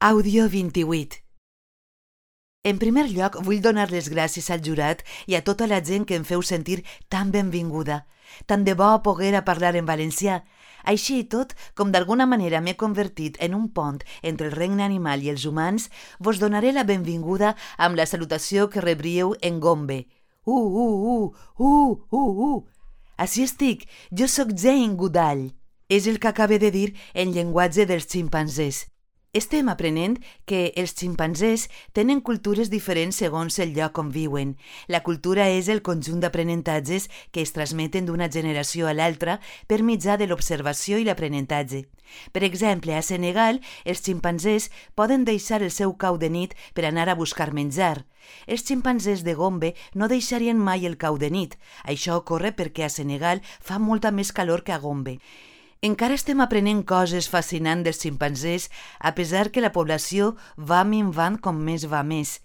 Àudio 28. En primer lloc, vull donar les gràcies al jurat i a tota la gent que em feu sentir tan benvinguda. Tant de bo poguer a parlar en valencià. Així i tot, com d'alguna manera m'he convertit en un pont entre el regne animal i els humans, vos donaré la benvinguda amb la salutació que rebríeu en Gombe. Així estic, jo sóc Jane Goodall. És el que acabe de dir en llenguatge dels ximpanzés. Estem aprenent que els ximpanzés tenen cultures diferents segons el lloc on viuen. La cultura és el conjunt d'aprenentatges que es transmeten d'una generació a l'altra per mitjà de l'observació i l'aprenentatge. Per exemple, a Senegal, els ximpanzés poden deixar el seu cau de nit per anar a buscar menjar. Els ximpanzés de Gombe no deixarien mai el cau de nit. Això ocorre perquè a Senegal fa molta més calor que a Gombe. Encara estem aprenent coses fascinants dels ximpanzés, a pesar que la població va minvant com més va més.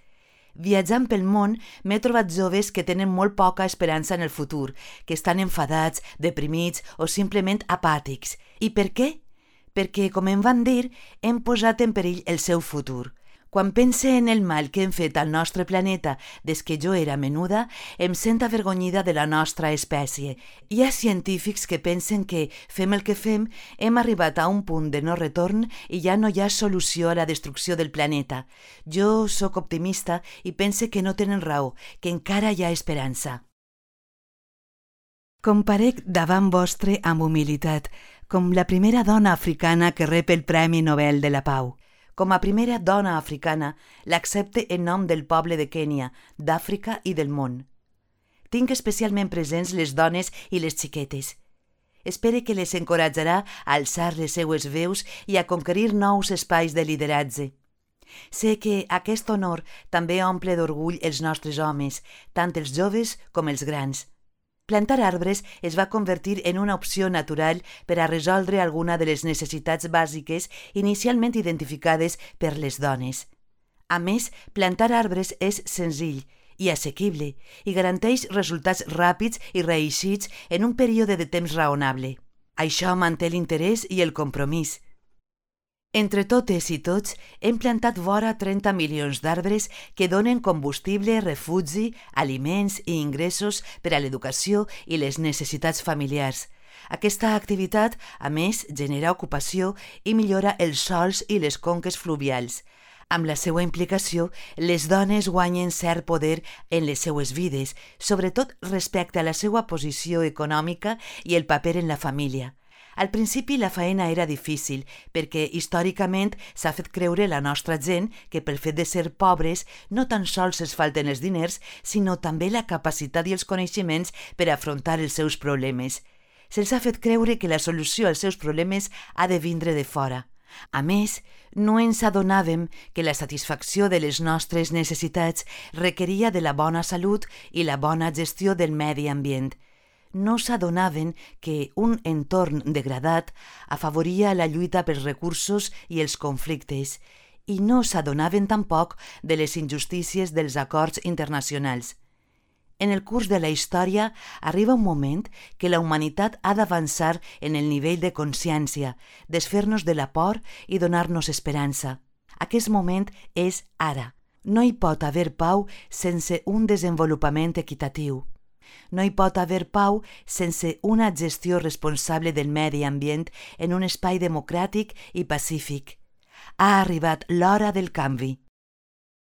Viatjant pel món, m'he trobat joves que tenen molt poca esperança en el futur, que estan enfadats, deprimits o simplement apàtics. I per què? Perquè, com em van dir, hem posat en perill el seu futur. Quan pense en el mal que hem fet al nostre planeta des que jo era menuda, em sent avergonyida de la nostra espècie. Hi ha científics que pensen que, fem el que fem, hem arribat a un punt de no retorn i ja no hi ha solució a la destrucció del planeta. Jo sóc optimista i pense que no tenen raó, que encara hi ha esperança. Comparec davant vostre amb humilitat, com la primera dona africana que rep el Premi Nobel de la Pau. Com a primera dona africana, l'accepte en nom del poble de Kènia, d'Àfrica i del món. Tinc especialment presents les dones i les xiquetes. Espere que les encoratjarà a alçar les seues veus i a conquerir nous espais de lideratge. Sé que aquest honor també omple d'orgull els nostres homes, tant els joves com els grans. Plantar arbres es va convertir en una opció natural per a resoldre alguna de les necessitats bàsiques inicialment identificades per les dones. A més, plantar arbres és senzill i assequible i garanteix resultats ràpids i reeixits en un període de temps raonable. Això manté l'interès i el compromís. Entre totes i tots, hem plantat vora 30 milions d'arbres que donen combustible, refugi, aliments i ingressos per a l'educació i les necessitats familiars. Aquesta activitat, a més, genera ocupació i millora els sòls i les conques fluvials. Amb la seva implicació, les dones guanyen cert poder en les seues vides, sobretot respecte a la seva posició econòmica i el paper en la família. Al principi la faena era difícil perquè històricament s'ha fet creure la nostra gent que pel fet de ser pobres no tan sols es falten els diners, sinó també la capacitat i els coneixements per afrontar els seus problemes. Se'ls ha fet creure que la solució als seus problemes ha de vindre de fora. A més, no ens adonàvem que la satisfacció de les nostres necessitats requeria de la bona salut i la bona gestió del medi ambient. No s'adonaven que un entorn degradat afavoria la lluita pels recursos i els conflictes i no s'adonaven tampoc de les injustícies dels acords internacionals. En el curs de la història arriba un moment que la humanitat ha d'avançar en el nivell de consciència, desfer-nos de la por i donar-nos esperança. Aquest moment és ara. No hi pot haver pau sense un desenvolupament equitatiu. No hi pot haver pau sense una gestió responsable del medi ambient en un espai democràtic i pacífic. Ha arribat l'hora del canvi.